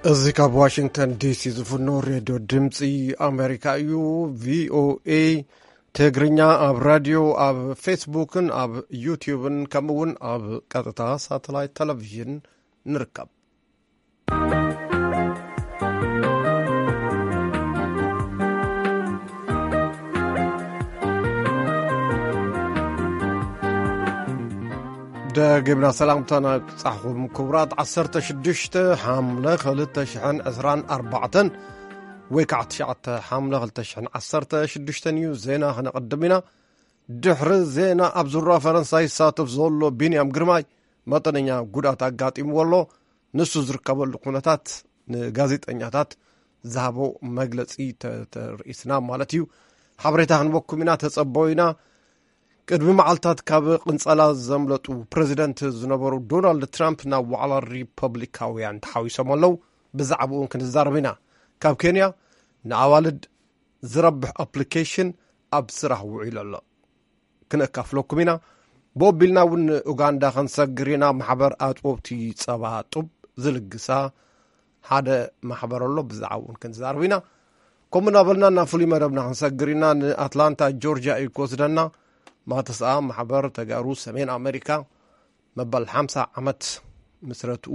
እዚ ካብ ዋሽንግተን ዲሲ ዝፍኖ ሬድዮ ድምፂ ኣሜሪካ እዩ። ቪኦኤ ትግርኛ ኣብ ራድዮ፣ ኣብ ፌስቡክን ኣብ ዩቲዩብን ከምኡ እውን ኣብ ቀጥታ ሳተላይት ቴሌቪዥን ንርከብ። ደጊምና ሰላምታና ክብጻሕኩም ክቡራት። ዓሰርተ ሽዱሽተ ሓምለ ክልተ ሽሕን ዕስራን ኣርባዕተን ወይ ከዓ ትሽዓተ ሓምለ ክልተ ሽሕን ዓሰርተ ሽዱሽተን እዩ። ዜና ክነቐድም ኢና። ድሕሪ ዜና ኣብ ዙራ ፈረንሳ ይሳተፍ ዘሎ ቢንያም ግርማይ መጠነኛ ጉድኣት ኣጋጢምዎ ኣሎ። ንሱ ዝርከበሉ ኩነታት ንጋዜጠኛታት ዝሃቦ መግለጺ ተ-፣ ተርእስና ማለት እዩ። ሓበሬታ ክንበኩም ኢና፣ ተጸበዩ ኢና። ቅድሚ መዓልታት ካብ ቅንጸላ ዘምለጡ ፕረዚደንት ዝነበሩ ዶናልድ ትራምፕ ናብ ዋዕላ ሪፐብሊካውያን ተሓዊሶም ኣለዉ። ብዛዕባኡ እውን ክንዛረብ ኢና። ካብ ኬንያ ንኣዋልድ ዝረብሕ ኣፕሊኬሽን ኣብ ስራሕ ውዒሉ ኣሎ። ክነካፍለኩም ኢና። ብኦቢልና እውን ንኡጋንዳ ክንሰግር ኢና። ማሕበር ኣጥቦብቲ ጸባ ጡብ ዝልግሳ ሓደ ማሕበር ኣሎ። ብዛዕባኡ እውን ክንዛረብ ኢና። ከምኡ እናበልና ናብ ፍሉይ መደብና ክንሰግር ኢና። ንኣትላንታ ጆርጅያ እዩ ክወስደና። ማተስኣ ማሕበር ተጋሩ ሰሜን ኣሜሪካ መበል ሓምሳ ዓመት ምስረትኡ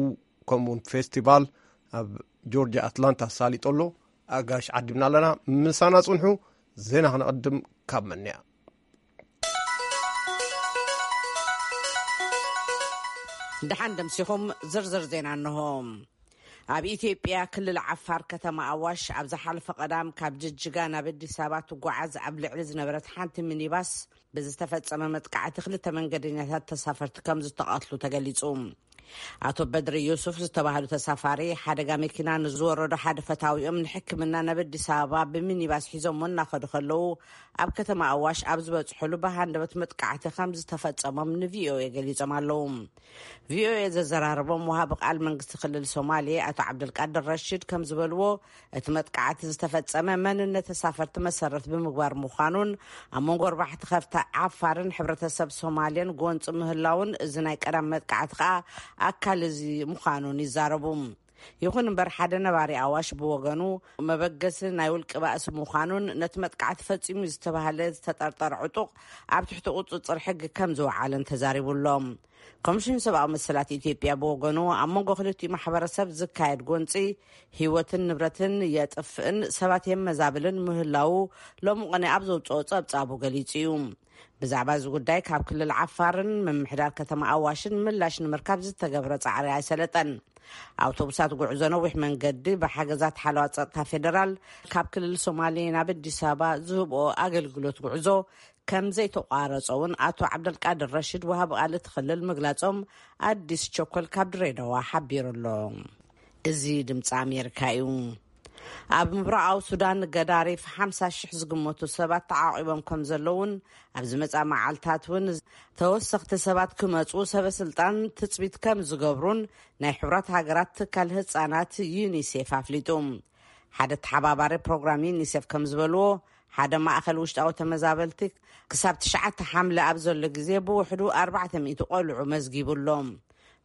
ከምኡውን ፌስቲቫል ኣብ ጆርጅያ ኣትላንታ ኣሳሊጡ ኣሎ። ኣጋሽ ዓዲምና ኣለና። ምሳና ጽንሑ። ዜና ክነቐድም ካብ መንያ። ደሓን ደምሲኹም። ዝርዝር ዜና እንሆ። ኣብ ኢትዮጵያ ክልል ዓፋር ከተማ ኣዋሽ ኣብ ዝሓለፈ ቀዳም ካብ ጅጅጋ ናብ ኣዲስ ኣበባ ትጓዓዝ ኣብ ልዕሊ ዝነበረት ሓንቲ ሚኒባስ ብዝተፈጸመ መጥቃዕቲ ክልተ መንገደኛታት ተሳፈርቲ ከም ዝተቐትሉ ተገሊጹ። ኣቶ በድሪ ዩሱፍ ዝተባህሉ ተሳፋሪ ሓደጋ መኪና ንዝወረዶ ሓደ ፈታዊኦም ንሕክምና ናብ ኣዲስ ኣበባ ብሚኒባስ ሒዞሞ እናኸዱ ከለዉ ኣብ ከተማ ኣዋሽ ኣብ ዝበጽሑሉ ብሃንደበት መጥቃዕቲ ከም ዝተፈጸሞም ንቪኦኤ ገሊጾም ኣለዉ። ቪኦኤ ዘዘራረቦም ወሃቢ ቃል መንግስቲ ክልል ሶማሌ ኣቶ ዓብደልቃድር ረሺድ ከም ዝበልዎ፣ እቲ መጥቃዕቲ ዝተፈጸመ መንነት ተሳፈርቲ መሰረት ብምግባር ምዃኑን ኣብ መንጎ ኣርባዕተ ከፍታ ዓፋርን ሕብረተሰብ ሶማሌን ጎንፂ ምህላውን፣ እዚ ናይ ቀዳም መጥቃዕቲ ከኣ ኣካል እዚ ምዃኑን ይዛረቡ። ይኹን እምበር ሓደ ነባሪ ኣዋሽ ብወገኑ፣ መበገሲ ናይ ውልቂ ባእሲ ምዃኑን ነቲ መጥቃዕቲ ፈጺሙ ዝተባህለ ዝተጠርጠረ ዕጡቕ ኣብ ትሕቲ ቁጽጽር ሕጊ ከም ዝወዓለን ተዛሪቡ ኣሎ። ኮሚሽን ሰብኣዊ መሰላት ኢትዮጵያ ብወገኑ፣ ኣብ መንጎ ክልቲኡ ማሕበረሰብ ዝካየድ ጎንጺ ህይወትን ንብረትን የጥፍእን ሰባት የመዛብልን ምህላዉ ሎሚ ቅነ ኣብ ዘውጽኦ ጸብጻቡ ገሊጹ እዩ። ብዛዕባ እዚ ጉዳይ ካብ ክልል ዓፋርን ምምሕዳር ከተማ ኣዋሽን ምላሽ ንምርካብ ዝተገብረ ጻዕሪ ኣይሰለጠን። ኣውቶቡሳት ጉዕዞ ነዊሕ መንገዲ ብሓገዛት ሓለዋ ጸጥታ ፌደራል ካብ ክልል ሶማሌ ናብ ኣዲስ ኣበባ ዝህብኦ ኣገልግሎት ጉዕዞ ከም ዘይተቋረጸ እውን ኣቶ ዓብደልቃድር ረሽድ፣ ወሃቢ ቃል እቲ ክልል፣ ምግላጾም ኣዲስ ቸኮል ካብ ድሬዳዋ ሓቢሩ ኣሎ። እዚ ድምፂ ኣሜሪካ እዩ። ኣብ ምብራቓዊ ሱዳን ገዳሪፍ ሓምሳ ሽሕ ዝግመቱ ሰባት ተዓቒቦም ከም ዘለውን ኣብዚ መጻ መዓልታት እውን ተወሰኽቲ ሰባት ክመጹ ሰበ ስልጣን ትጽቢት ከም ዝገብሩን ናይ ሕቡራት ሃገራት ትካል ህጻናት ዩኒሴፍ ኣፍሊጡ። ሓደ ተሓባባሪ ፕሮግራም ዩኒሴፍ ከም ዝበልዎ፣ ሓደ ማእኸል ውሽጣዊ ተመዛበልቲ ክሳብ ትሽዓተ ሓምለ ኣብ ዘሎ ግዜ ብውሕዱ ኣርባዕተ ሚእቲ ቆልዑ መዝጊቡ ኣሎ።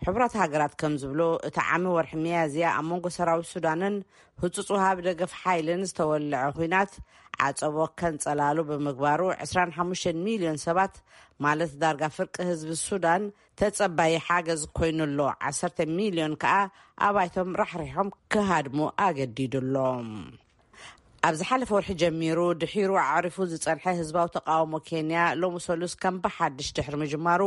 ሕቡራት ሃገራት ከም ዝብሎ፣ እቲ ዓሚ ወርሒ ሚያዝያ ኣብ መንጎ ሰራዊት ሱዳንን ህጹጽ ወሃቢ ደገፍ ሓይልን ዝተወልዐ ኲናት ዓጸቦ ከንጸላሉ ብምግባሩ፣ ዕስራን ሓሙሽተን ሚልዮን ሰባት፣ ማለት ዳርጋ ፍርቂ ህዝቢ ሱዳን፣ ተጸባዪ ሓገዝ ኮይኑ ኣሎ። ዓሰርተ ሚልዮን ከኣ ኣባይቶም ራሕሪሖም ክሃድሙ ኣገዲዱ ኣሎ። ኣብ ዝሓለፈ ወርሒ ጀሚሩ ድሒሩ ኣዕሪፉ ዝጸንሐ ህዝባዊ ተቃውሞ ኬንያ ሎሚ ሰሉስ ከም ብሓድሽ ድሕሪ ምጅማሩ፣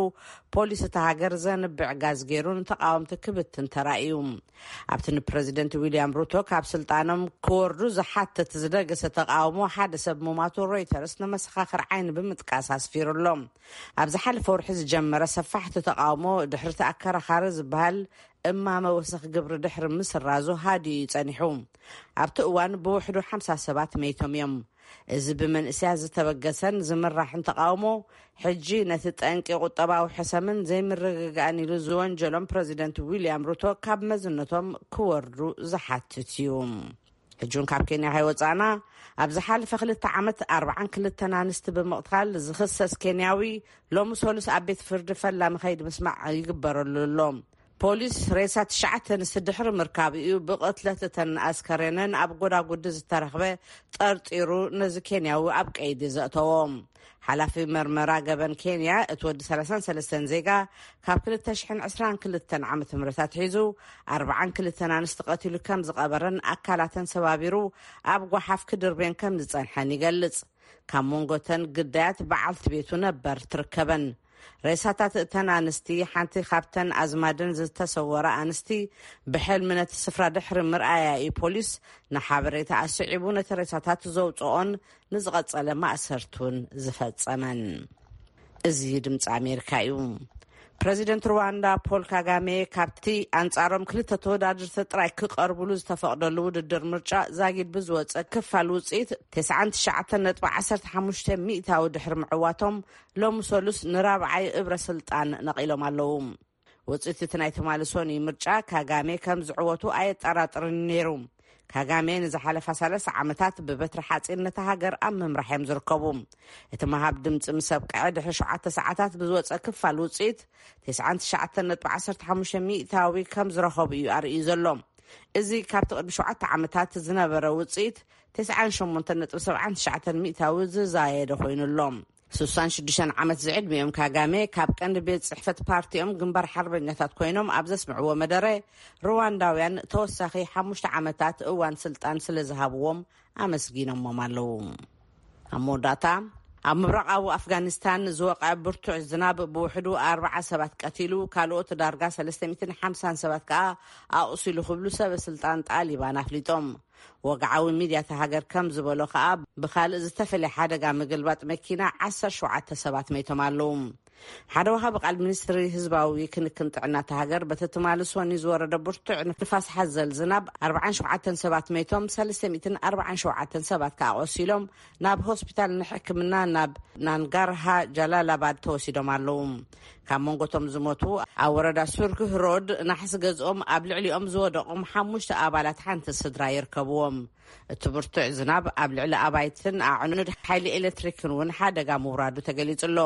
ፖሊስ እታ ሃገር ዘንብዕ ጋዝ ገይሩ ንተቃወምቲ ክብትን ተራእዩ። ኣብቲ ንፕረዚደንት ዊልያም ሩቶ ካብ ስልጣኖም ክወርዱ ዝሓትት ዝደገሰ ተቃውሞ ሓደ ሰብ ምማቱ ሮይተርስ ንመሰኻኽር ዓይኒ ብምጥቃስ ኣስፊሩ ኣሎ። ኣብ ዝሓለፈ ወርሒ ዝጀመረ ሰፋሕቲ ተቃውሞ ድሕሪ እቲ ኣከራኻሪ ዝበሃል እማመ ወሰኽ ግብሪ ድሕሪ ምስራዙ ሃዲኡ እዩ ጸኒሑ። ኣብቲ እዋን ብውሕዱ ሓምሳ ሰባት መይቶም እዮም። እዚ ብመንእሰያት ዝተበገሰን ዝምራሕን ተቃውሞ፣ ሕጂ ነቲ ጠንቂ ቁጠባዊ ሕሰምን ዘይምርግጋእን ኢሉ ዝወንጀሎም ፕረዚደንት ዊልያም ሩቶ ካብ መዝነቶም ክወርዱ ዝሓትት እዩ። ሕጂ እውን ካብ ኬንያ ከይወጻእና፣ ኣብ ዝሓለፈ ክልተ ዓመት ኣርብዓን ክልተን ኣንስቲ ብምቕታል ዝኽሰስ ኬንያዊ ሎሚ ሰሉስ ኣብ ቤት ፍርዲ ፈላሚ ከይዲ ምስማዕ ይግበረሉ ኣሎ። ፖሊስ ሬሳ ትሽዓተ ኣንስቲ ድሕሪ ምርካብ እዩ ብቕትለት እተን ኣስከሬነን ኣብ ጎዳጉዲ ዝተረኽበ ጠርጢሩ ነዚ ኬንያዊ ኣብ ቀይዲ ዘእተዎ። ሓላፊ መርመራ ገበን ኬንያ፣ እቲ ወዲ ሰላሳን ሰለስተን ዜጋ፣ ካብ ክልተ ሽሕን ዕስራን ክልተን ዓመተ ምህረት ኣትሒዙ ኣርባዓን ክልተን ኣንስቲ ቀቲሉ ከም ዝቐበረን ኣካላተን ሰባቢሩ ኣብ ጓሓፍ ክድርብየን ከም ዝጸንሐን ይገልጽ። ካብ መንጎተን ግዳያት በዓልቲ ቤቱ ነበር ትርከበን። ሬሳታት እተን ኣንስቲ፣ ሓንቲ ካብተን ኣዝማደን ዝተሰወራ ኣንስቲ፣ ብሕልሚ ነቲ ስፍራ ድሕሪ ምርኣያ እዩ ፖሊስ ንሓበሬታ ኣስዒቡ ነቲ ሬሳታት ዘውጽኦን ንዝቐጸለ ማእሰርቱን ዝፈጸመን። እዚ ድምፂ ኣሜሪካ እዩ። ፕረዚደንት ሩዋንዳ ፖል ካጋሜ ካብቲ ኣንጻሮም ክልተ ተወዳደርቲ ጥራይ ክቐርብሉ ዝተፈቕደሉ ውድድር ምርጫ ዛጊድ ብዝወፀ ክፋል ውፅኢት ተስዓን ትሽዓተን ነጥቢ ዓሰርተ ሓሙሽተ ሚእታዊ ድሕሪ ምዕዋቶም፣ ሎሚ ሰሉስ ንራብዓይ እብረ ስልጣን ነቒሎም ኣለዉ። ውፅኢት እቲ ናይ ትማሊ ሶኒ ምርጫ ካጋሜ ከም ዝዕወቱ ኣየጠራጥርን ነይሩ። ካጋሜ ንዝሓለፋ ሰላሳ ዓመታት ብበትሪ ሓፂን ነታ ሃገር ኣብ ምምራሕ እዮም ዝርከቡ። እቲ ምሃብ ድምፂ ምስ ኣብቅዐ ድሕሪ ሸውዓተ ሰዓታት ብዝወፀ ክፋል ውፅኢት፣ ተስዓን ትሽዓተን ነጥቢ ዓሰርተ ሓሙሽተ ሚእታዊ ከም ዝረኸቡ እዩ ኣርእዩ ዘሎ። እዚ ካብቲ ቅድሚ ሸውዓተ ዓመታት ዝነበረ ውፅኢት፣ ተስዓን ሸሞንተን ነጥቢ ሰብዓን ትሽዓተን ሚእታዊ ዝዛየደ ኮይኑ ኣሎ። ስሳን ሽዱሽተን ዓመት ዝዕድሚኦም ካጋሜ፣ ካብ ቀንዲ ቤት ጽሕፈት ፓርቲኦም ግንባር ሓርበኛታት ኮይኖም ኣብ ዘስምዕዎ መደረ፣ ሩዋንዳውያን ተወሳኺ ሓሙሽተ ዓመታት እዋን ስልጣን ስለ ዝሃብዎም ኣመስጊኖሞም ኣለዉ። ኣብ መወዳእታ፣ ኣብ ምብራቓዊ ኣፍጋኒስታን ዝወቕዐ ብርቱዕ ዝናብ ብውሕዱ ኣርብዓ ሰባት ቀቲሉ፣ ካልኦት ዳርጋ ሰለስተ ሚእትን ሓምሳን ሰባት ከኣ ኣቑሲሉ ክብሉ ሰበ ስልጣን ጣሊባን ኣፍሊጦም። ወግዓዊ ሚድያ እታ ሃገር ከም ዝበሎ ከኣ፣ ብኻልእ ዝተፈልየ ሓደጋ ምግልባጥ መኪና ዓሰርተ ሸውዓተ ሰባት መይቶም ኣለዉ። ሓደ ወሃቢ ቃል ሚኒስትሪ ህዝባዊ ክንክን ጥዕና እታ ሃገር፣ በቲ ትማሊ ሶኒ ዝወረደ ብርቱዕ ንፋስ ሓዘል ዝናብ ኣርባዓን ሸውዓተን ሰባት መይቶም፣ ሰለስተ ሚእትን ኣርባዓን ሸውዓተን ሰባት ከኣ ቆሲሎም ናብ ሆስፒታል ንሕክምና ናብ ናንጋርሃ ጃላላባድ ተወሲዶም ኣለዉ። ካብ መንጎቶም ዝሞቱ፣ ኣብ ወረዳ ሱርክ ሮድ ናሕሲ ገዝኦም ኣብ ልዕሊኦም ዝወደቖም ሓሙሽተ ኣባላት ሓንቲ ስድራ ይርከብዎም። እቲ ብርቱዕ ዝናብ ኣብ ልዕሊ ኣባይትን ኣዕኑድ ሓይሊ ኤሌክትሪክን እውን ሓደጋ ምውራዱ ተገሊጹ ኣሎ።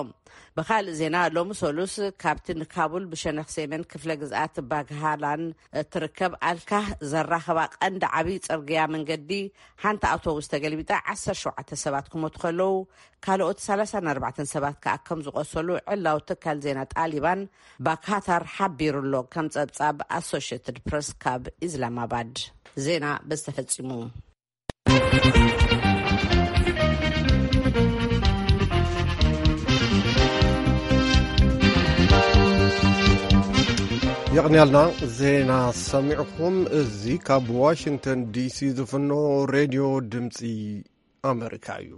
ብኻልእ ዜና፣ ሎሚ ሰሉስ ካብቲ ንካቡል ብሸነኽ ሰሜን ክፍለ ግዝኣት ባግሃላን እትርከብ ኣልካህ ዘራኸባ ቀንዲ ዓብዪ ጽርግያ መንገዲ፣ ሓንቲ ኣውቶቡስ ተገልቢጣ ዓሰርተ ሸውዓተ ሰባት ክሞቱ ከለዉ፣ ካልኦት ሰላሳን ኣርባዕተን ሰባት ከኣ ከም ዝቖሰሉ ዕላዊ ትካል ዜና ጣሊባን ባካታር ሓቢሩ ኣሎ፣ ከም ጸብጻብ ኣሶሽየትድ ፕረስ ካብ ኢስላማባድ። ዜና በዚ ተፈጺሙ። የቕንያልና ዜና ሰሚዕኹም። እዚ ካብ ዋሽንግተን ዲሲ ዝፍኖ ሬድዮ ድምፂ ኣመሪካ እዩ።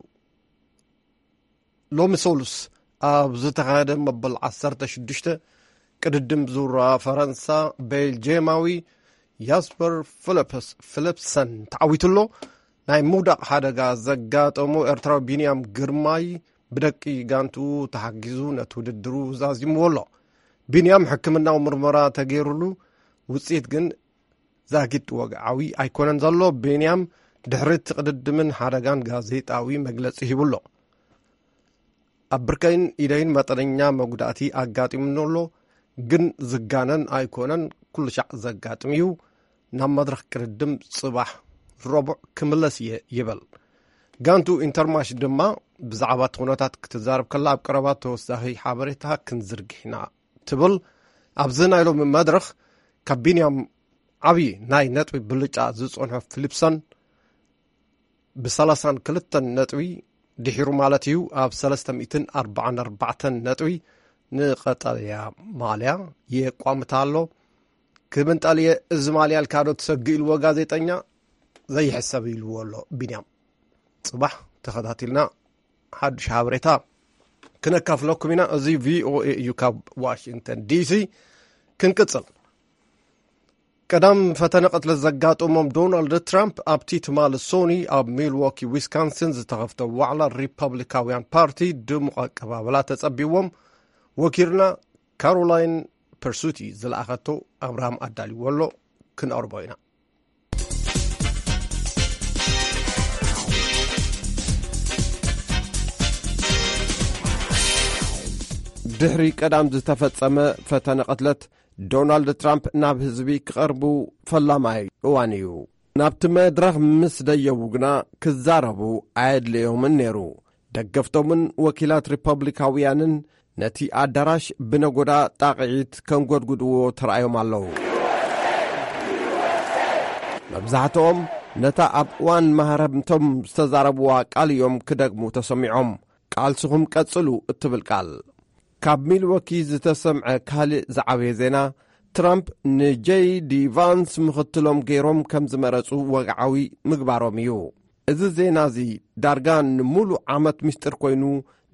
ሎሚ ሰሉስ ኣብ ዝተኻየደ መበል ዓሰርተ ሽዱሽተ ቅድድም ዙራ ፈረንሳ፣ ቤልጄማዊ ያስፐር ፊሊፕስ-፣ ፊሊፕሰን ተዓዊቱ ኣሎ። ናይ ምውዳቕ ሓደጋ ዘጋጠሞ ኤርትራዊ ቢንያም ግርማይ ብደቂ ጋንቱ ተሓጊዙ ነቲ ውድድሩ ዛዚምዎ ኣሎ። ቢንያም ሕክምናዊ ምርመራ ተገይሩሉ፣ ውጽኢት ግን ዛጊድ ወግዓዊ ኣይኮነን ዘሎ። ቢንያም ድሕሪ እቲ ቅድድምን ሓደጋን ጋዜጣዊ መግለጺ ሂቡ ኣሎ። ኣብ ብርከይን ኢደይን መጠነኛ መጉዳእቲ ኣጋጢሙኒ ኣሎ፣ ግን ዝጋነን ኣይኮነን፣ ኩሉ ሻዕ ዘጋጥም እዩ። ናብ መድረኽ ቅድድም ጽባሕ ረቡዕ ክምለስ እየ ይብል። ጋንቱ ኢንተርማሽ ድማ ብዛዕባ እቲ ኩነታት ክትዛረብ ከላ፣ ኣብ ቀረባ ተወሳኺ ሓበሬታ ክንዝርግሕ ኢና ትብል። ኣብዚ ናይ ሎሚ መድረኽ ካብ ቢንያም ዓብዪ ናይ ነጥቢ ብልጫ ዝጸንሖ ፊሊፕሰን ብሰላሳን ክልተን ነጥቢ ድሒሩ ማለት እዩ፣ ኣብ ሰለስተ ሚእትን ኣርባዓን ኣርባዕተን ነጥቢ ንቐጠልያ ማልያ የቋምታ ኣሎ። ክምንጠል እየ፣ እዚ ማልያ ኢልካ ዶ ትሰግእ ኢልዎ ጋዜጠኛ፣ ዘይሕሰብ ኢልዎ ኣሎ ቢንያም። ጽባሕ ተኸታቲልና ሓድሽ ሓበሬታ ክነካፍለኩም ኢና። እዚ ቪኦኤ እዩ ካብ ዋሽንግተን ዲሲ። ክንቅጽል። ቀዳም ፈተነ ቅትለት ዘጋጠሞም ዶናልድ ትራምፕ ኣብቲ ትማሊ ሶኒ ኣብ ሚልዎኪ ዊስካንሲን ዝተኸፍተ ዋዕላ ሪፐብሊካውያን ፓርቲ ድሙቕ ኣቀባበላ ተጸቢዎም። ወኪልና ካሮላይን ፐርሱቲ ዝለኣኸቶ ኣብርሃም ኣዳልዎ ኣሎ፣ ክንኣርቦ ኢና። ድሕሪ ቀዳም ዝተፈጸመ ፈተነ ቅትለት፣ ዶናልድ ትራምፕ ናብ ህዝቢ ክቐርቡ ፈላማይ እዋን እዩ። ናብቲ መድረኽ ምስ ደየቡ ግና ክዛረቡ ኣየድለዮምን ነይሩ። ደገፍቶምን ወኪላት ሪፐብሊካውያንን ነቲ ኣዳራሽ ብነጎዳ ጣቕዒት ከንጎድጉድዎ ተራእዮም ኣለዉ። መብዛሕትኦም ነታ ኣብ እዋን ማህረምቶም ዝተዛረብዋ ቃል እዮም ክደግሙ ተሰሚዖም። "ቃልስኹም ቀጽሉ" እትብል ቃል። ካብ ሚልዎኪ ዝተሰምዐ ካልእ ዝዓበየ ዜና፣ ትራምፕ ንጄይ ዲ ቫንስ ምኽትሎም ገይሮም ከም ዝመረጹ ወግዓዊ ምግባሮም እዩ። እዚ ዜና እዚ ዳርጋ ንምሉእ ዓመት ምስጢር ኮይኑ፣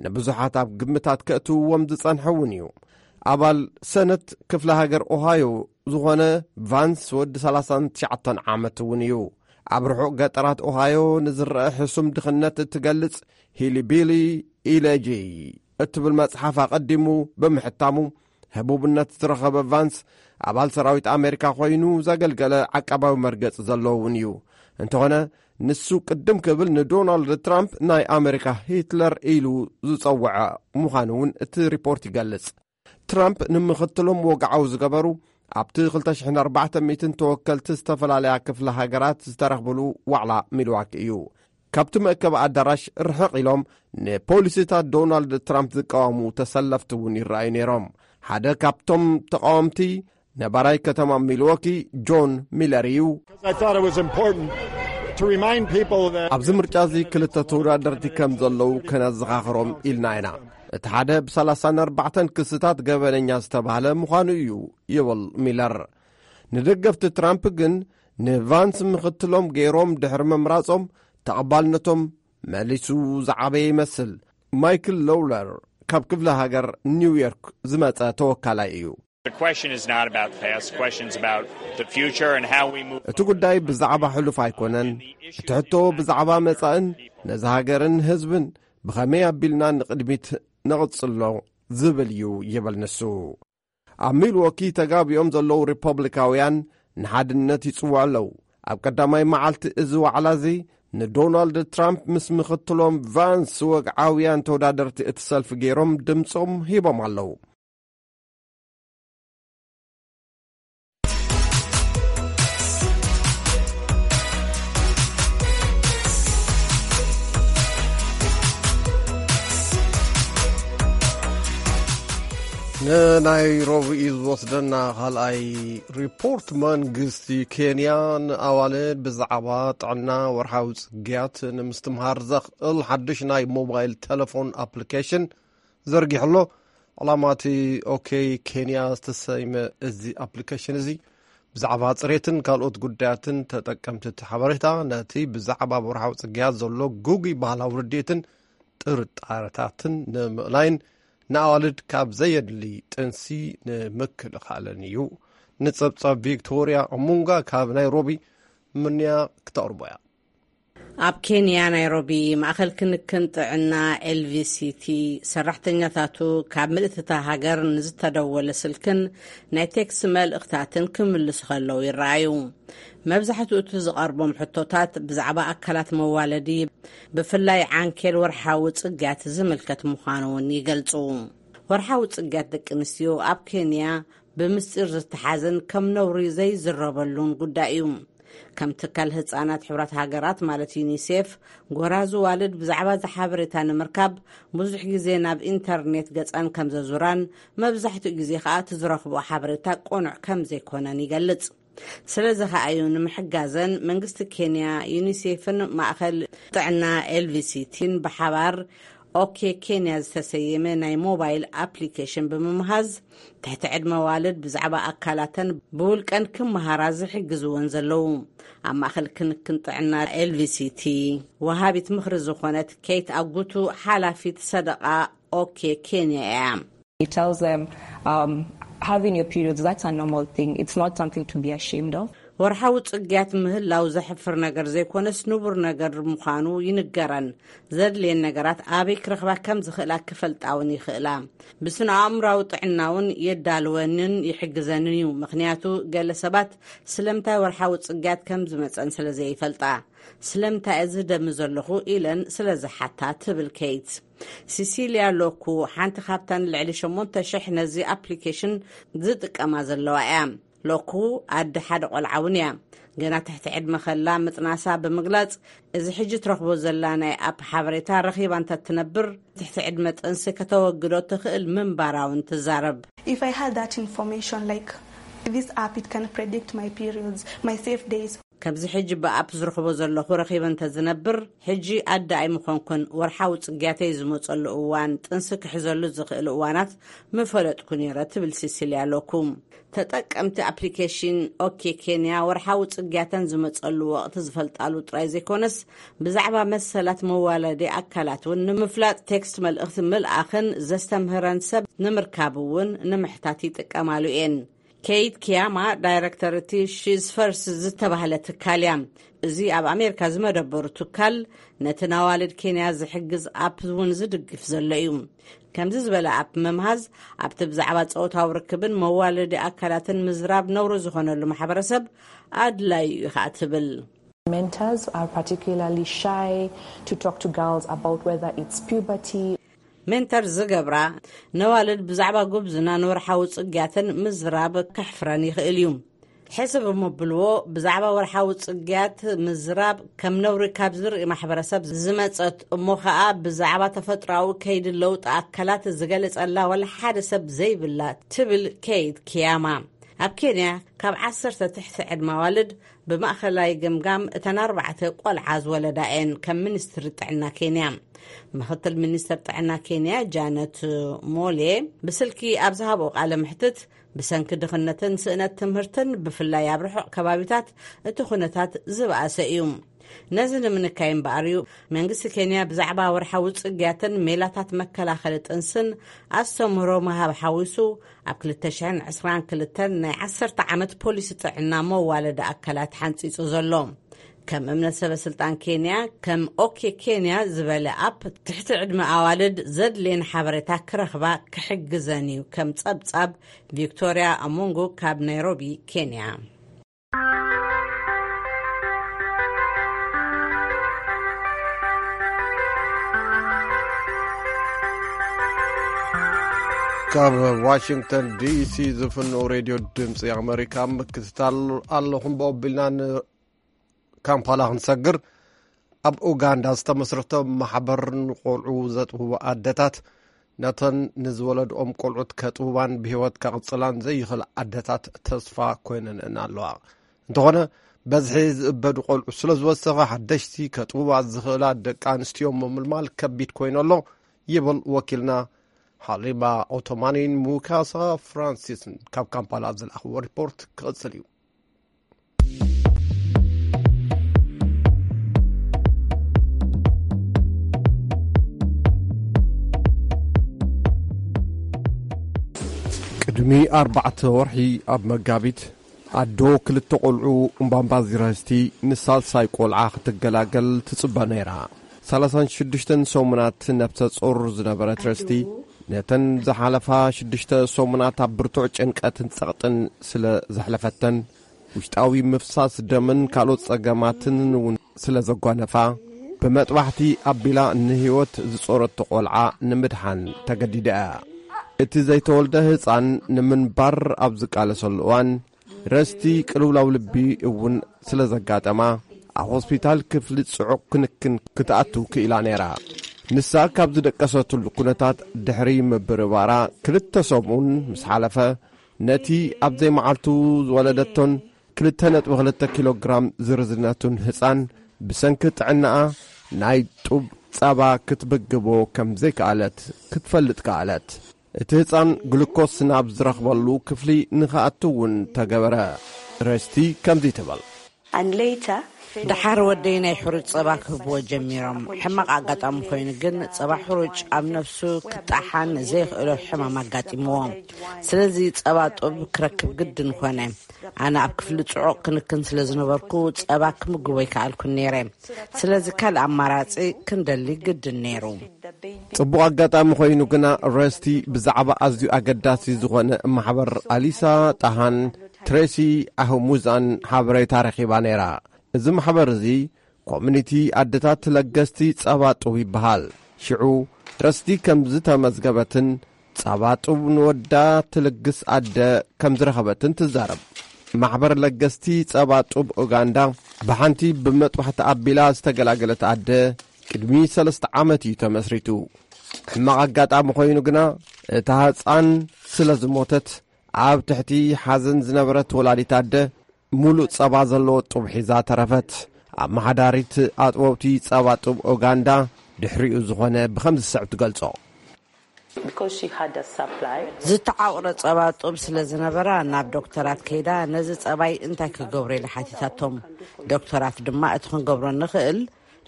ንብዙሓት ኣብ ግምታት ከእትውዎም ዝጸንሐ እውን እዩ። ኣባል ሰነት ክፍለ ሃገር ኦሃዮ ዝኾነ ቫንስ ወዲ ሰላሳን ትሽዓተን ዓመት እውን እዩ። ኣብ ርሑቕ ገጠራት ኦሃዮ ንዝረአ ሕሱም ድኽነት እትገልጽ ሂሊቢሊ ኢሌጂ እትብል መጽሓፍ ኣቐዲሙ ብምሕታሙ፣ ህቡብነት ዝረኸበ ቫንስ፣ ኣባል ሰራዊት ኣሜሪካ ኮይኑ ዘገልገለ ዓቃባዊ መርገጺ ዘለዎ እውን እዩ። እንተኾነ፣ ንሱ ቅድም ክብል ንዶናልድ ትራምፕ ናይ ኣሜሪካ ሂትለር ኢሉ ዝጸውዐ ምዃኑ እውን እቲ ሪፖርት ይገልጽ። ትራምፕ ንምኽትሎም ወግዓዊ ዝገበሩ ኣብቲ ክልተ ሽሕን ኣርባዕተ ሚእትን ተወከልቲ ዝተፈላለያ ክፍለ ሃገራት ዝተረኽብሉ ዋዕላ ሚልዋኪ እዩ። ካብቲ መእከቢ ኣዳራሽ ርሕቕ ኢሎም ንፖሊሲታት ዶናልድ ትራምፕ ዝቃወሙ ተሰለፍቲ እውን ይረኣዩ ነይሮም። ሓደ ካብቶም ተቃወምቲ ነባራይ ከተማ ሚልዎኪ ጆን ሚለር እዩ። I thought it was important to remind people that ኣብዚ ምርጫ እዚ ክልተ ተወዳደርቲ ከም ዘለዉ ከነዘኻኽሮም ኢልና ኢና። እቲ ሓደ ብ ሰላሳን ኣርባዕተን ክስታት ገበነኛ ዝተባህለ ምዃኑ እዩ ይብል ሚለር። ንደገፍቲ ትራምፕ ግን ንቫንስ ምኽትሎም ገይሮም ድሕሪ ምምራጾም ተቐባልነቶም መሊሱ ዝዓበየ ይመስል። ማይክል ሎውለር ካብ ክፍለ ሃገር ኒውዮርክ ዝመጸ ተወካላይ እዩ። The question is not about the past. The question's about the future and how we move. እቲ ጉዳይ ብዛዕባ ሕሉፍ ኣይኮነን። እቲ ሕቶ ብዛዕባ መጻእን ነዚ ሃገርን ህዝብን ብኸመይ ኣቢልና ንቕድሚት ነቕጽሎ ዝብል እዩ ይብል ንሱ። ኣብ ሚልዎኪ ተጋቢኦም ዘለዉ ሪፐብሊካውያን ንሓድነት ይጽውዑ ኣለዉ። ኣብ ቀዳማይ መዓልቲ እዚ ዋዕላ እዚ ንዶናልድ ትራምፕ ምስ ምኽትሎም ቫንስ ወግዓውያን ተወዳደርቲ እቲ ሰልፊ ገይሮም ድምጾም ሂቦም ኣለዉ። ንናይ ረቡዕ እዩ ዝወስደና። ካልኣይ ሪፖርት፣ መንግስቲ ኬንያ ንኣዋልድ ብዛዕባ ጥዕና ወርሓዊ ጽግያት ንምስትምሃር ዘኽእል ሓድሽ ናይ ሞባይል ቴሌፎን ኣፕሊኬሽን ዘርጊሑ ኣሎ። ዕላማ እቲ ኦኬ ኬንያ ዝተሰይመ እዚ ኣፕሊኬሽን እዚ ብዛዕባ ጽሬትን ካልኦት ጉዳያትን ተጠቀምቲ እቲ ሓበሬታ ነቲ ብዛዕባ ወርሓዊ ጽግያት ዘሎ ግጉይ ባህላዊ ርድኢትን ጥርጣረታትን ንምእላይን ንኣዋልድ ካብ ዘየድሊ ጥንሲ ንምክልኻልን እዩ። ንጸብጻብ ቪክቶርያ ኦሙንጋ ካብ ናይሮቢ ምንያ ክተቕርቦ እያ። ኣብ ኬንያ ናይሮቢ ማእኸል ክንክን ጥዕና ኤልቪሲቲ ሰራሕተኛታቱ ካብ ምልእቲ እታ ሃገር ንዝተደወለ ስልክን ናይ ቴክስ መልእኽታትን ክምልሱ ከለዉ ይረኣዩ። መብዛሕትኡ እቲ ዝቐርቦም ሕቶታት ብዛዕባ ኣካላት መዋለዲ፣ ብፍላይ ዓንኬል ወርሓዊ ጽግያት ዝምልከት ምዃኑ እውን ይገልጹ። ወርሓዊ ጽግያት ደቂ ኣንስትዮ ኣብ ኬንያ ብምስጢር ዝተሓዘን ከም ነውሪ ዘይዝረበሉን ጉዳይ እዩ። ከም ትካል ህጻናት ሕብራት ሃገራት ማለት ዩኒሴፍ፣ ጎራዙ ዋልድ ብዛዕባ እዚ ሓበሬታ ንምርካብ ብዙሕ ግዜ ናብ ኢንተርኔት ገጻን ከም ዘዙራን፣ መብዛሕትኡ ግዜ ከኣ እቲ ዝረኽቦ ሓበሬታ ቅኑዕ ከም ዘይኮነን ይገልጽ። ስለዚ ከኣ እዩ ንምሕጋዘን መንግስቲ ኬንያ፣ ዩኒሴፍን ማእከል ጥዕና ኤልቪሲቲን ብሓባር ኦኬ ኬንያ ዝተሰየመ ናይ ሞባይል ኣፕሊኬሽን ብምምሃዝ፣ ትሕቲ ዕድመ ዋልድ ብዛዕባ ኣካላተን ብውልቀን ክመሃራ ዝሕግዝወን ዘለዉ። ኣብ ማእከል ክንክን ጥዕና ኤልቪሲቲ ወሃቢት ምኽሪ ዝኾነት ኬት ኣጉቱ ሓላፊት ሰደቓ ኦኬ ኬንያ እያ። It tells them, um, having your periods, that's a normal thing. It's not something to be ashamed of. ወርሓዊ ጽግያት ምህላው ዘሕፍር ነገር ዘይኮነስ ንቡር ነገር ምዃኑ ይንገረን። ዘድልየን ነገራት ኣበይ ክረኽባ ከም ዝኽእላ ክፈልጣ እውን ይኽእላ። ብስነ ኣእምራዊ ጥዕና እውን የዳልወንን ይሕግዘንን እዩ። ምኽንያቱ ገለ ሰባት ስለምንታይ ወርሓዊ ጽግያት ከም ዝመጸን ስለ ዘይፈልጣ፣ ስለምንታይ እዚ ደሚ ዘለኹ ኢለን ስለ ዝሓታ ትብል ኬት። ሲሲልያ ሎኩ፣ ሓንቲ ካብተን ልዕሊ ሸሞንተ ሽሕ ነዚ ኣፕሊኬሽን ዝጥቀማ ዘለዋ እያ። ሎኩ ኣደ ሓደ ቆልዓ እውን እያ። ገና ትሕቲ ዕድመ ከላ ምጥናሳ ብምግላጽ፣ እዚ ሕጂ ትረኽቦ ዘላ ናይ ኣፕ ሓበሬታ ረኺባ እንተትነብር፣ ትሕቲ ዕድመ ጥንሲ ከተወግዶ ትኽእል ምንባራ እውን ትዛረብ። If I had that information, like this app, it can predict my periods, my safe days. ከምዚ ሕጂ ብኣፕ ዝረኽቦ ዘለኹ ረኺበ እንተዝነብር፣ ሕጂ ኣደ ኣይምኾንኩን፣ ወርሓዊ ጽግያተይ ዝመጸሉ እዋን፣ ጥንሲ ክሕዘሉ ዝኽእል እዋናት ምፈለጥኩ ነይረ፣ ትብል ሲሲልያ ሎኩ። ተጠቀምቲ ኣፕሊኬሽን ኦኬ ኬንያ፣ ወርሓዊ ጽግያተን ዝመጸሉ ወቕቲ ዝፈልጣሉ ጥራይ ዘይኮነስ፣ ብዛዕባ መሰላት መዋለዲ ኣካላት እውን ንምፍላጥ፣ ቴክስት መልእኽቲ ምልኣኽን ዘስተምህረን ሰብ ንምርካብ እውን ንምሕታት ይጥቀማሉ እየን። ኬይት ኪያማ፣ ዳይረክተር እቲ ሺዝ ፈርስ ዝተባህለ ትካል እያ። እዚ ኣብ ኣሜሪካ ዝመደበሩ ትካል፣ ነቲ ናዋልድ ኬንያ ዝሕግዝ ኣፕ እውን ዝድግፍ ዘሎ እዩ። ከምዚ ዝበለ ኣፕ ምምሃዝ፣ ኣብቲ ብዛዕባ ጾታዊ ርክብን መዋለዲ ኣካላትን ምዝራብ ነውሪ ዝኾነሉ ማሕበረሰብ ኣድላዩ እዩ ኸኣ ትብል። Mentors are particularly shy to talk to girls about whether it's puberty. ሜንተር ዝገብራ፣ ነዋልድ ብዛዕባ ጉብዝናን ወርሓዊ ጽግያትን ምዝራብ ከሕፍረን ይኽእል እዩ። ሕስብ እሞ ብልዎ፣ ብዛዕባ ወርሓዊ ጽግያት ምዝራብ ከም ነውሪ ካብ ዝርኢ ማሕበረሰብ ዝመጸት፣ እሞ ኸኣ ብዛዕባ ተፈጥሮኣዊ ከይዲ ለውጢ ኣካላት ዝገለጸላ ዋላ ሓደ ሰብ ዘይብላ፣ ትብል ኬይት ኪያማ። ኣብ ኬንያ ካብ ዓሰርተ ትሕቲ ዕድመ ኣዋልድ ብማእኸላይ ገምጋም እተን ኣርባዕተ ቆልዓ ዝወለዳ እየን፣ ከም ሚኒስትሪ ጥዕና ኬንያ። ምኽትል ሚኒስትር ጥዕና ኬንያ ጃነት ሞሌ ብስልኪ ኣብ ዝሃብኦ ቃለ መሕትት፣ ብሰንኪ ድኽነትን ስእነት ትምህርትን ብፍላይ ኣብ ርሑቕ ከባቢታት እቲ ኩነታት ዝበኣሰ እዩ። ነዚ ንምንካይ እምበኣር እዩ መንግስቲ ኬንያ ብዛዕባ ወርሓዊ ጽግያትን ሜላታት መከላኸሊ ጥንስን ኣስተምህሮ ምሃብ ሓዊሱ ኣብ ክልተ ሽሕን ዕስራን ክልተን ናይ ዓሰርተ ዓመት ፖሊሲ ጥዕና መዋለዲ ኣካላት ሓንጺጹ ዘሎ። ከም እምነት ሰበ ስልጣን ኬንያ፣ ከም ኦኬ ኬንያ ዝበለ ኣፕ ትሕቲ ዕድመ ኣዋልድ ዘድልየን ሓበሬታ ክረኽባ ክሕግዘን እዩ፣ ከም ጸብጻብ ቪክቶርያ ኣሞንጎ ካብ ናይሮቢ ኬንያ። ካብ ዋሽንግተን ዲሲ ዝፍንው ሬድዮ ድምፂ ኣመሪካ ምክትታል ኣለኹም። ብኦቢልና ንካምፓላ ክንሰግር፣ ኣብ ኡጋንዳ ዝተመስረተ ማሕበር ንቆልዑ ዘጥብቡ ኣደታት ነተን ንዝወለድኦም ቆልዑት ከጥብባን ብህይወት ከቕጽላን ዘይኽእል ኣደታት ተስፋ ኮይነንእን ኣለዋ። እንተኾነ፣ በዝሒ ዝእበዱ ቆልዑ ስለ ዝወሰኸ፣ ሓደሽቲ ከጥብባ ዝኽእላ ደቂ ኣንስትዮ ምምልማል ከቢድ ኮይኑ ኣሎ፣ ይብል ወኪልና ሃሊማ ኦቶማኒን ሙካሳ ፍራንሲስን ካብ ካምፓላ ዝለኣኽዎ ሪፖርት ክቕጽል እዩ። ቅድሚ ኣርባዕተ ወርሒ ኣብ መጋቢት፣ ኣዶ ክልተ ቆልዑ እምባምባዚረስቲ ንሳልሳይ ቆልዓ ክትገላገል ትጽበ ነይራ። ሰላሳን ሽዱሽተን ሰሙናት ነብሰ ጹር ዝነበረት ረስቲ፣ ነተን ዝሓለፋ ሽዱሽተ ሰሙናት ኣብ ብርቱዕ ጭንቀትን ጸቕጥን ስለ ዘሕለፈተን፣ ውሽጣዊ ምፍሳስ ደምን ካልኦት ጸገማትን እውን ስለ ዘጓነፋ፣ ብመጥባሕቲ ኣቢላ ንህይወት ዝጾረቶ ቆልዓ ንምድሓን ተገዲዳ እያ። እቲ ዘይተወልደ ህጻን ንምንባር ኣብ ዝቃለሰሉ እዋን፣ ረስቲ ቅልውላው ልቢ እውን ስለ ዘጋጠማ፣ ኣብ ሆስፒታል ክፍሊ ጽዑቕ ክንክን ክትኣቱ ክኢላ ነይራ። ንሳ ካብ ዝደቀሰትሉ ኩነታት ድሕሪ ምብርባራ ክልተ ሰሙን ምስ ሓለፈ፣ ነቲ ኣብ ዘይመዓልቱ ዝወለደቶን ክልተ ነጥቢ ክልተ ኪሎ ግራም ዝርዝነቱን ህጻን፣ ብሰንኪ ጥዕናኣ ናይ ጡብ ጸባ ክትምግቦ ከም ዘይከኣለት ክትፈልጥ ከኣለት። እቲ ህጻን ግሉኮስ ናብ ዝረኽበሉ ክፍሊ ንኽኣቱ እውን ተገበረ። ረስቲ ከምዚ ትብል። And later, ደሓር ወደይ ናይ ሕሩጭ ጸባ ክህብዎ ጀሚሮም። ሕማቕ ኣጋጣሚ ኮይኑ ግን፣ ጸባ ሕሩጭ ኣብ ነፍሱ ክጣሓን ዘይኽእሎ ሕማም ኣጋጢምዎ። ስለዚ ጸባ ጡብ ክረክብ ግድን ኾነ። ኣነ ኣብ ክፍሊ ጽዑቕ ክንክን ስለ ዝነበርኩ፣ ጸባ ክምግቦ ኣይከኣልኩን ነይረ። ስለዚ ካልእ ኣማራጺ ክንደሊ ግድን ነይሩ። ጽቡቕ ኣጋጣሚ ኮይኑ ግና፣ ረስቲ ብዛዕባ ኣዝዩ ኣገዳሲ ዝኾነ ማሕበር ኣሊሳ ጣሃን ትሬሲ ኣህሙዛን ሓበሬታ ረኺባ ነይራ። እዚ ማሕበር እዚ፣ ኮሚኒቲ ኣደታት ለገስቲ ጸባ ጡብ ይበሃል። ሽዑ፣ ርስቲ ከም ዝተመዝገበትን ጸባ ጡብ ንወዳ ትልግስ ኣደ ከም ዝረኸበትን ትዛረብ። ማሕበር ለገስቲ ጸባ ጡብ ኡጋንዳ ብሓንቲ ብመጥባሕቲ ኣቢላ ዝተገላገለት ኣደ ቅድሚ ሰለስተ ዓመት እዩ ተመስሪቱ። ሕማቕ ኣጋጣሚ ኮይኑ ግና እታ ህጻን ስለ ዝሞተት ኣብ ትሕቲ ሓዘን ዝነበረት ወላዲት ኣደ ሙሉእ ጸባ ዘለዎ ጡብ ሒዛ ተረፈት። ኣመሓዳሪት ኣጥበብቲ ጸባ ጡብ ኡጋንዳ ድሕሪኡ ዝኾነ ብኸምዚ ዝስዕብ ትገልጾ። Because she had a supply. ዝተዓቑረ ጸባ ጡብ ስለ ዝነበራ ናብ ዶክተራት ከይዳ ነዚ ጸባይ እንታይ ክገብሩ ኢላ ሓቲታቶም። ዶክተራት ድማ እቲ ክንገብሮ ንኽእል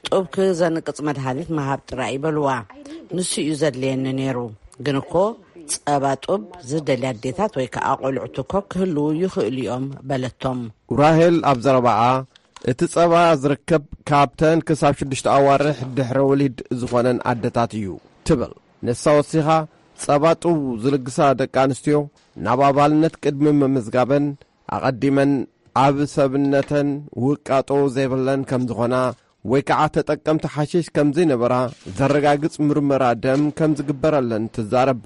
ጡብ ክዘንቅጽ መድሃኒት ምሃብ ጥራይ ይበልዋ። ንሱ እዩ ዘድልየኒ ነይሩ። ግን እኮ ጸባ ጡብ ዝደልያ ኣዴታት ወይ ከዓ ቆልዑት እኮ ክህልዉ ይኽእሉ እዮም በለቶም። ራሄል ኣብ ዘረባኣ እቲ ጸባ ዝርከብ ካብተን ክሳብ ሽዱሽተ ኣዋርሕ ድሕረ ወሊድ ዝኾነን ኣደታት እዩ ትብል። ንሳ ወሲኻ ጸባ ጡብ ዝልግሳ ደቂ ኣንስትዮ ናብ ኣባልነት ቅድሚ ምምዝጋበን ኣቐዲመን ኣብ ሰብነተን ውቃጦ ዘይብለን ከም ዝኾና ወይ ከዓ ተጠቀምቲ ሓሽሽ ከም ዘይነበራ ዘረጋግጽ ምርመራ ደም ከም ዝግበረለን ትዛረብ።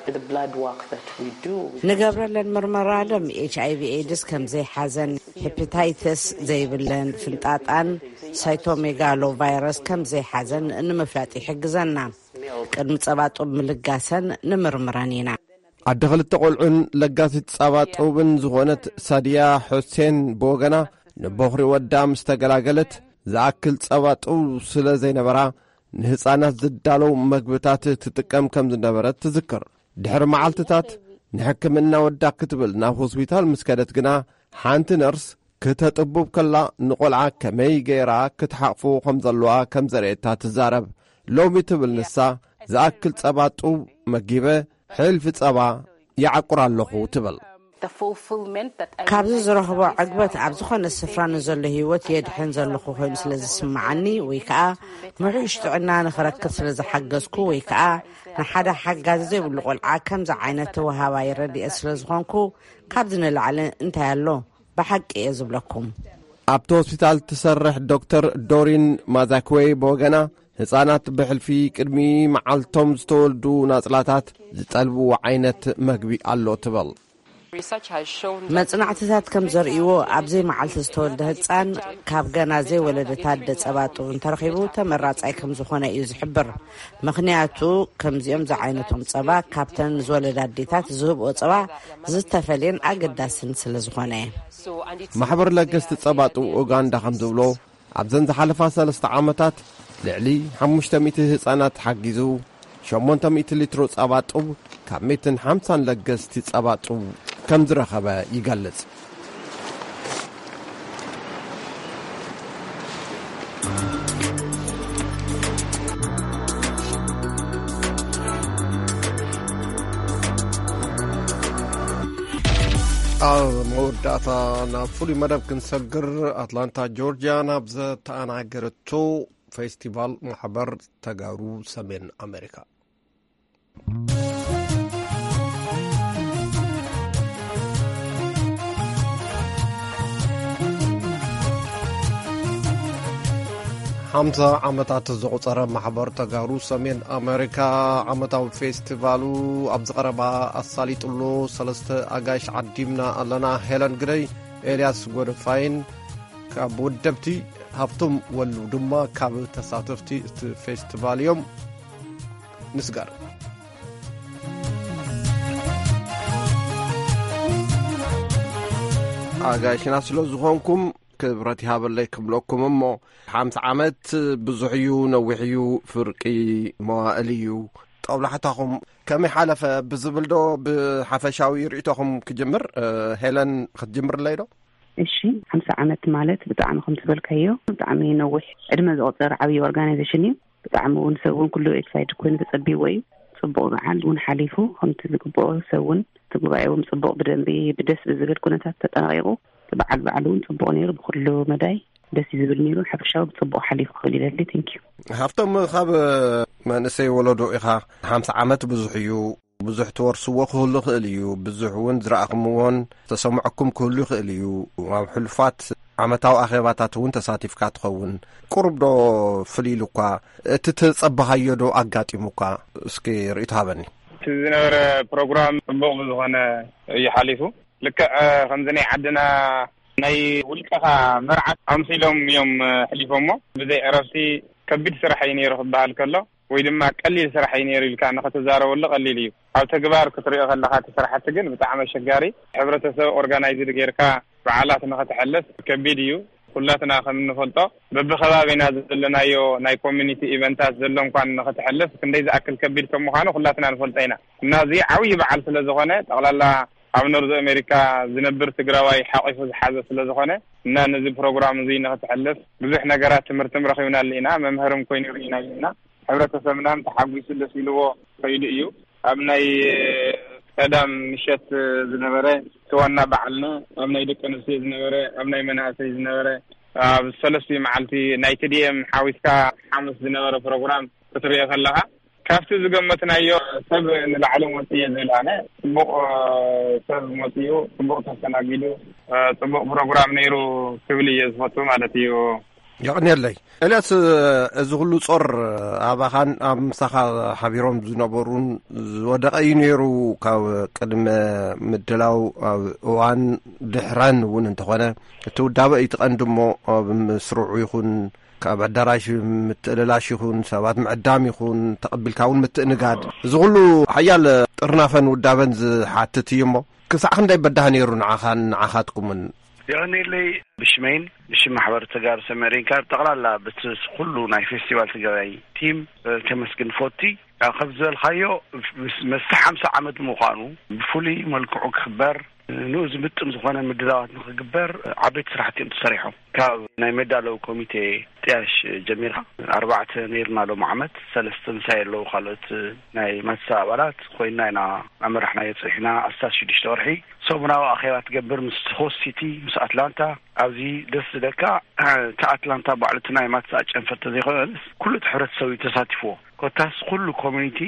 The blood work that we do. ንገብረለን ምርመራ ደም ኤች ኣይ ቪ ኤድስ ከም ዘይሓዘን፣ ሄፓታይተስ ዘይብለን፣ ፍንጣጣን ሳይቶሜጋሎ ቫይረስ ከም ዘይሓዘን ንምፍላጥ ይሕግዘና። ቅድሚ ጸባ ጡብ ምልጋሰን ንምርምረን ኢና። ኣደ ክልተ ቆልዑን ለጋሲት ጸባ ጡብን ዝኾነት ሳድያ ሑሴን ብወገና ንቦኽሪ ወዳ ምስ ተገላገለት ዝኣክል ጸባ ጡብ ስለ ዘይነበራ ንህጻናት ዝዳለው መግብታት ትጥቀም ከም ዝነበረት ትዝክር። ድሕሪ መዓልትታት ንሕክምና ወዳ ክትብል ናብ ሆስፒታል ምስ ከደት ግና ሓንቲ ነርስ ክተጥቡብ ከላ ንቆልዓ ከመይ ገይራ ክትሓቕፎ ከም ዘለዋ ከም ዘርእየታ ትዛረብ። ሎሚ ትብል ንሳ ዝኣክል ጸባ ጡብ መጊበ ሕልፊ ጸባ ይዓቁር ኣለኹ ትብል። The fulfillment that I ካብዚ ዝረኽቦ ዕግበት ኣብ ዝኾነ ስፍራ ንዘሎ ህይወት የድሕን ዘለኹ ኮይኑ ስለ ዝስምዓኒ ወይ ከዓ ምሕሽ ጥዕና ንኽረክብ ስለ ዝሓገዝኩ ወይ ከዓ ንሓደ ሓጋዚ ዘይብሉ ቆልዓ ከምዚ ዓይነት ተወሃባይ ረድኤት ስለ ዝኾንኩ ካብዚ ንላዕሊ እንታይ ኣሎ? ብሓቂ እየ ዝብለኩም። ኣብቲ ሆስፒታል ትሰርሕ ዶክተር ዶሪን ማዛክዌ ብወገና ህጻናት ብሕልፊ ቅድሚ መዓልቶም ዝተወልዱ ናጽላታት ዝጠልብዎ ዓይነት መግቢ ኣሎ ትብል። Research has shown መጽናዕትታት ከም ዘርእይዎ ኣብ ዘይመዓልቲ ዝተወልደ ህጻን ካብ ገና ዘይወለደት ኣደ ጸባ ጡብ እንተረኺቡ ተመራጻይ ከም ዝኾነ እዩ ዝሕብር። ምኽንያቱ ከምዚኦም ዝዓይነቶም ጸባ ካብተን ዝወለዳ ኣዴታት ዝህብኦ ጸባ ዝተፈልየን ኣገዳስን ስለ ዝኾነ። so and it's ማሕበር ለገስቲ ጸባ ጡብ ኡጋንዳ ከም ዝብሎ ኣብዘን ዝሓለፋ ሰለስተ ዓመታት ልዕሊ ሓሙሽተ ሚእቲ ህጻናት ሓጊዙ ሸሞንተ ሚእቲ ሊትሮ ጸባ ጡብ ካብ ሚእትን ሓምሳን ለገስቲ ጸባ ጡብ ከም ዝረኸበ ይገልጽ። ኣብ መወዳእታ ናብ ፍሉይ መደብ ክንሰግር ኣትላንታ ጆርጅያ ናብ ዘተኣናገረቶ ፌስቲቫል ማሕበር ተጋሩ ሰሜን ኣሜሪካ። ሓምሳ ዓመታት ዘቑጸረ ማሕበር ተጋሩ ሰሜን ኣሜሪካ ዓመታዊ ፌስቲቫሉ ኣብዚ ቀረባ ኣሳሊጡሎ። ሰለስተ ኣጋይሽ ዓዲምና ኣለና። ሄለን ግደይ፣ ኤልያስ ጎደፋይን ካብ ወደብቲ፣ ሃብቶም ወሉ ድማ ካብ ተሳተፍቲ እቲ ፌስቲቫል እዮም። ንስጋር ኣጋይሽና ስለ ዝኾንኩም ክብረት ይሃበለይ ክብለኩም። እሞ ሓምሳ ዓመት ብዙሕ እዩ፣ ነዊሕ እዩ፣ ፍርቂ መዋእል እዩ። ጠብላሕታኹም ከመይ ሓለፈ ብዝብል ዶ ብሓፈሻዊ ርእይቶኹም ክጅምር? ሄለን ክትጅምርለይ ዶ? እሺ፣ ሓምሳ ዓመት ማለት ብጣዕሚ ከም ዝበልካዮ ብጣዕሚ ነዊሕ ዕድመ ዘቑፀረ ዓብዪ ኦርጋናይዜሽን እዩ። ብጣዕሚ እውን ሰብ እውን ኩሉ ኤክሳይድ ኮይኑ ተፀቢዎ እዩ። ፅቡቕ በዓል እውን ሓሊፉ ከምቲ ዝግብኦ ሰብ እውን እቲ ጉባኤ እውን ፅቡቕ ብደንቢ ብደስ ብዝብል ኩነታት ተጠናቂቑ። እቲ በዓል በዓል እውን ፅቡቕ ነይሩ። ብኩሉ መዳይ ደስ እዩ ዝብል ነይሩ። ሓፈሻዊ ብፅቡቕ ሓሊፉ ክብል ይደሊ። ቴንኪዩ። ሃብቶም ካብ መንእሰይ ወለዶ ኢኻ። ሓምሳ ዓመት ብዙሕ እዩ። ብዙሕ ትወርስዎ ክህሉ ይኽእል እዩ። ብዙሕ እውን ዝረኣኹምዎን ዝተሰምዐኩም ክህሉ ይኽእል እዩ። ኣብ ሕሉፋት ዓመታዊ ኣኼባታት እውን ተሳቲፍካ ትኸውን። ቁሩብ ዶ ፍልይ ኢሉ እኳ፣ እቲ ተጸበኻዮ ዶ ኣጋጢሙ እኳ? እስኪ ርእይቶ ሃበኒ። እቲ ዝነበረ ፕሮግራም ጽቡቕ ብዝኾነ እዩ ሓሊፉ። ልክዕ ከምዚ ናይ ዓድና ናይ ውልቀኻ መርዓት ኣምሲሎም እዮም ሕሊፎሞ። ብዘይ ዕረፍቲ ከቢድ ስራሕ እዩ ነይሩ ክበሃል ከሎ፣ ወይ ድማ ቀሊል ስራሕ እዩ ነይሩ ኢልካ ንኽትዛረበሉ ቀሊል እዩ። ኣብ ተግባር ክትሪኦ ከለኻ እቲ ስራሕቲ ግን ብጣዕሚ ኣሸጋሪ፣ ሕብረተሰብ ኦርጋናይዝድ ጌርካ በዓላት ንኽትሕልፍ ከቢድ እዩ። ኩላትና ከም እንፈልጦ በብከባቢና ዘለናዮ ናይ ኮሚኒቲ ኢቨንታት ዘሎ እንኳን ንኽትሕልፍ ክንደይ ዝኣክል ከቢድ ከም ምዃኑ ኩላትና ንፈልጦ ኢና። እና እዚ ዓብዪ በዓል ስለ ዝኾነ፣ ጠቕላላ ኣብ ኖርዝ ኣሜሪካ ዝነብር ትግራዋይ ሓቂፉ ዝሓዘ ስለ ዝኾነ፣ እና ነዚ ፕሮግራም እዚ ንኽትሕልፍ ብዙሕ ነገራት ትምህርትም ረኺብናሉ ኢና፣ መምህርም ኮይኑ ርኢና ኢና። ሕብረተሰብናም ተሓጒሱ ደስ ኢልዎ ከይዱ እዩ። ኣብ ናይ ቀዳም ምሸት ዝነበረ እቲ ዋና በዓልና፣ ኣብ ናይ ደቂ ኣንስትዮ ዝነበረ፣ ኣብ ናይ መናእሰይ ዝነበረ፣ ኣብ ሰለስቲኡ መዓልቲ ናይ ቲ ዲ ኤም ሓዊስካ ሓሙስ ዝነበረ ፕሮግራም ክትሪኦ ከለኻ፣ ካብቲ ዝገመትናዮ ሰብ ንላዕሊ መፂኡ እየ ዝብል ኣነ። ፅቡቕ ሰብ መፂኡ፣ ፅቡቕ ተስተናጊዱ፣ ፅቡቕ ፕሮግራም ነይሩ ክብል እየ ዝፈቱ ማለት እዩ። የቕንየለይ። ኤልያስ፣ እዚ ኩሉ ጾር ኣባኻን ኣብ ምሳኻ ሓቢሮም ዝነበሩን ዝወደቐ እዩ ነይሩ። ካብ ቅድመ ምድላው፣ ኣብ እዋን፣ ድሕረን እውን እንተኾነ፣ እቲ ውዳበ እዩ እቲ ቀንዲ እሞ፣ ኣብ ምስርዑ ይኹን፣ ካብ ኣዳራሽ ምትእልላሽ ይኹን፣ ሰባት ምዕዳም ይኹን፣ ተቐቢልካ እውን ምትእንጋድ፣ እዚ ኩሉ ሓያል ጥርናፈን ውዳበን ዝሓትት እዩ እሞ፣ ክሳዕ ክንደይ በዳህ ነይሩ ንዓኻን ንዓኻትኩምን? የቐንየለይ። ብሽመይን ብሽም ማሕበር ተጋሩ ሰሜን ሬንካ፣ ጠቕላላ ብቲ ኩሉ ናይ ፌስቲቫል ትግራይ ቲም ከመስግን ፈቲ። ያው ከም ዝበልካዮ፣ ምስ መስተ ሓምሳ ዓመት ምዃኑ፣ ብፍሉይ መልክዑ ክኽበር፣ ንኡ ዝምጥን ዝኾነ ምድላዋት ንኽግበር ዓበይቲ ስራሕቲ እዮም ተሰሪሖም። ካብ ናይ መዳለዊ ኮሚቴ ጥያሽ ጀሚርካ፣ ኣርባዕተ ነይርና ሎም ዓመት፣ ሰለስተ ምሳይ ኣለዉ ካልኦት ናይ ማትሳ ኣባላት ኮይንና ኢና ኣመራሕናዮ። ጽኒሕና ኣስታት ሽዱሽተ ወርሒ ሰሙናዊ ኣኼባ ትገብር ምስ ሆስት ሲቲ፣ ምስ ኣትላንታ። ኣብዚ ደስ ዝለካ፣ እቲ ኣትላንታ ባዕሉ እቲ ናይ ማትሳ ጨንፈር ተዘይኮነስ፣ ኩሉ እቲ ሕብረተሰብ እዩ ተሳቲፍዎ። ኮታስ ኩሉ ኮሚኒቲ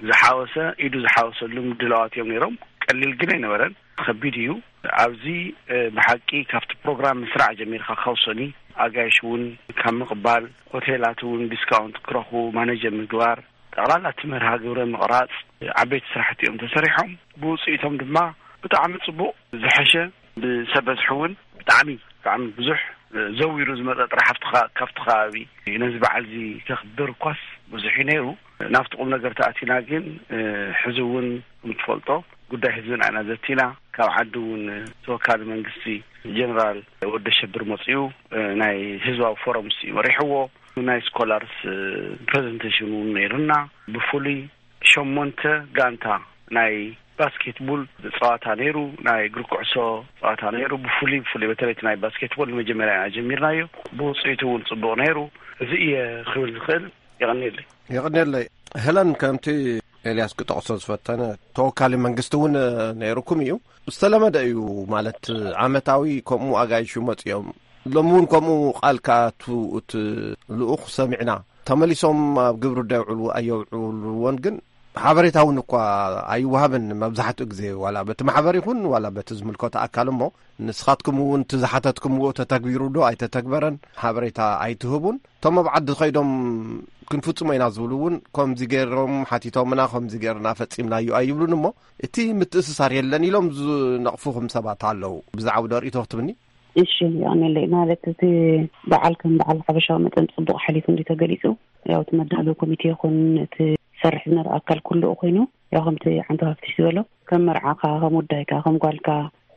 ዝሓወሰ፣ ኢዱ ዝሓወሰሉ ምድላዋት እዮም ነይሮም። ቀሊል ግን ኣይነበረን፣ ከቢድ እዩ። ኣብዚ፣ እ፣ ብሓቂ ካብቲ ፕሮግራም ምስራዕ ጀሚርካ፣ ካብ ሰኒ ኣጋይሽ እውን ካብ ምቕባል፣ ሆቴላት እውን ዲስካውንት ክረኽቡ ማኔጀር ምግባር፣ ጠቕላላ እቲ መርሃ ግብረ ምቕራጽ፣ ዓበይቲ ስራሕቲ እዮም ተሰሪሖም። ብውጽኢቶም ድማ ብጣዕሚ ጽቡቕ ዝሐሸ፣ ብሰብ በዝሒ እውን ብጣዕሚ፣ ብጣዕሚ ብዙሕ፣ እ፣ ዘዊሩ ዝመጸ ጥራሕ ኣብቲ ኸ-፣ ካብቲ ከባቢ ነዚ በዓል እዚ ከኽብር እኳስ ብዙሕ እዩ ነይሩ። ናብቲ ቁም ነገር ተኣቲና ግን፣ እ፣ ሕዚ እውን ከም ትፈልጦ ጉዳይ ህዝብና ኢና ዘቲና። ካብ ዓዲ እውን ተወካሊ መንግስቲ ጀነራል ወደ ሸብር መፂኡ፣ እ፣ ናይ ህዝባዊ ፎረም ሲ መሪሕዎ። ናይ ስኮላርስ፣ እ፣ ፕሬዘንቴሽን እውን ነይሩና። ብፍሉይ ሸሞንተ ጋንታ ናይ ባስኬትቡል ፀዋታ ነይሩ፣ ናይ እግሪ ኩዕሶ ፀዋታ ነይሩ። ብፍሉይ፣ ብፍሉይ በተለይ እቲ ናይ ባስኬትቦል ንመጀመርያ ኢና ጀሚርናዮ። ብውፅኢቱ እውን ፅቡቕ ነይሩ። እዚ እየ ክብል ዝኽእል። የቐንየለይ። የቐንየለይ። ሄለን፣ ከምቲ ኤልያስ ክጠቕሶ ዝፈተነ፣ ተወካሊ መንግስቲ እውን ነይሩኩም እዩ። ዝተለመደ እዩ ማለት፣ ዓመታዊ ከምኡ ኣጋይሹ መፅኦም። ሎሚ እውን ከምኡ ቃል ክኣቱ እቲ ልኡኽ ሰሚዕና። ተመሊሶም ኣብ ግብሪ ዶ የውዕሉ ኣየውዕልዎን ግን ሓበሬታ እውን እኳ ኣይወሃብን መብዛሕትኡ ግዜ፣ ዋላ በቲ ማሕበር ይኹን ዋላ በቲ ዝምልከቶ ኣካል። እሞ ንስኻትኩም እውን እቲ ዝሓተትኩምዎ ተተግቢሩ ዶ ኣይተተግበረን ሓበሬታ ኣይትህቡን። እቶም ኣብ ዓዲ ኸይዶም ክንፍጽሞ ኢና ዝብሉ እውን ከምዚ ገይሮም ሓቲቶምና፣ ከምዚ ገይርና ፈጺምናዮ ኣይብሉን። እሞ እቲ ምትእስሳር የለን ኢሎም ዝነቕፉኹም ሰባት ኣለዉ። ብዛዕባ ዶ ርእይቶ ክትብኒ? እሺ፣ የቐንየለይ። ማለት እቲ በዓል ከም በዓል ሓበሻዊ መጠን ጽቡቕ ሓሊፉ እንዲ ተገሊጹ፣ ያው እቲ መዳለዊ ኮሚቴ ይኹን እቲ ዝሰርሕ ዝነበረ ኣካል ኩሉ ኮይኑ፣ ያው ከምቲ ዓንቶ ሃፍትሽ ዝበሎ፣ ከም መርዓኻ፣ ከም ውዳይካ፣ ከም ጓልካ፣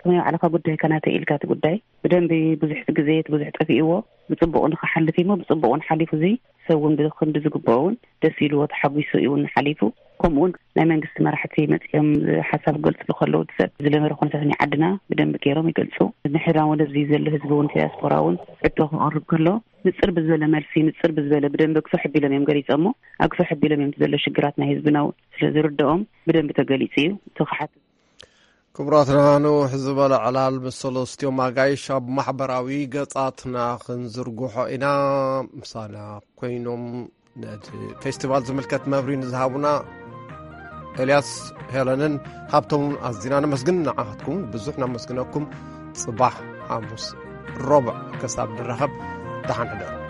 ከም ናይ ባዕልኻ ጉዳይካ ናተይ ኢልካ እቲ ጉዳይ ብደንቢ ብዙሕ ግዜ እቲ ብዙሕ ጠፊእዎ ብጽቡቕ ንኽሓልፍ እሞ ብጽቡቕ እውን ሓሊፉ። እዚ ሰብ እውን ብክንዲ ዝግብኦ እውን ደስ ኢልዎ ተሓጒሱ እዩ እውን ሓሊፉ። ከምኡ እውን ናይ መንግስቲ መራሕቲ መጺኦም ሓሳብ ክገልጽሉ ከለዉ፣ እቲ ሰብ ዝለመደ ኩነታት ናይ ዓድና ብደንቢ ገይሮም ይገልጹ። ምሕራን ወለዚ ዘሎ ህዝቢ እውን፣ ዲያስፖራ እውን ሕቶ ክቐርብ ከሎ፣ ንጽር ብዝበለ መልሲ፣ ንጽር ብዝበለ ብደንቢ ኣግፍሕ ኣቢሎም እዮም ገሊጾሞ። ኣግፍሕ ኣቢሎም እዮም ዘሎ ሽግራት ናይ ህዝብና እውን ስለ ዝርድኦም ብደንቢ ተገሊጹ እዩ። እቲ ክሓት ክቡራትና፣ ንውሕ ዝበለ ዕላል ምስ ሰለስቲኦም ኣጋይሽ ኣብ ማሕበራዊ ገጻትና ክንዝርግሖ ኢና። ምሳና ኮይኖም ነቲ ፌስቲቫል ዝምልከት መብርሂ ንዝሃቡና ኤልያስ፣ ሄለንን ሃብቶምን ኣዚና ነመስግን። ንዓኻትኩም ብዙሕ ነመስግነኩም። ጽባሕ ሓሙስ። ሮብዕ ክሳብ ንራኸብ፣ ደሓን ሕደሩ።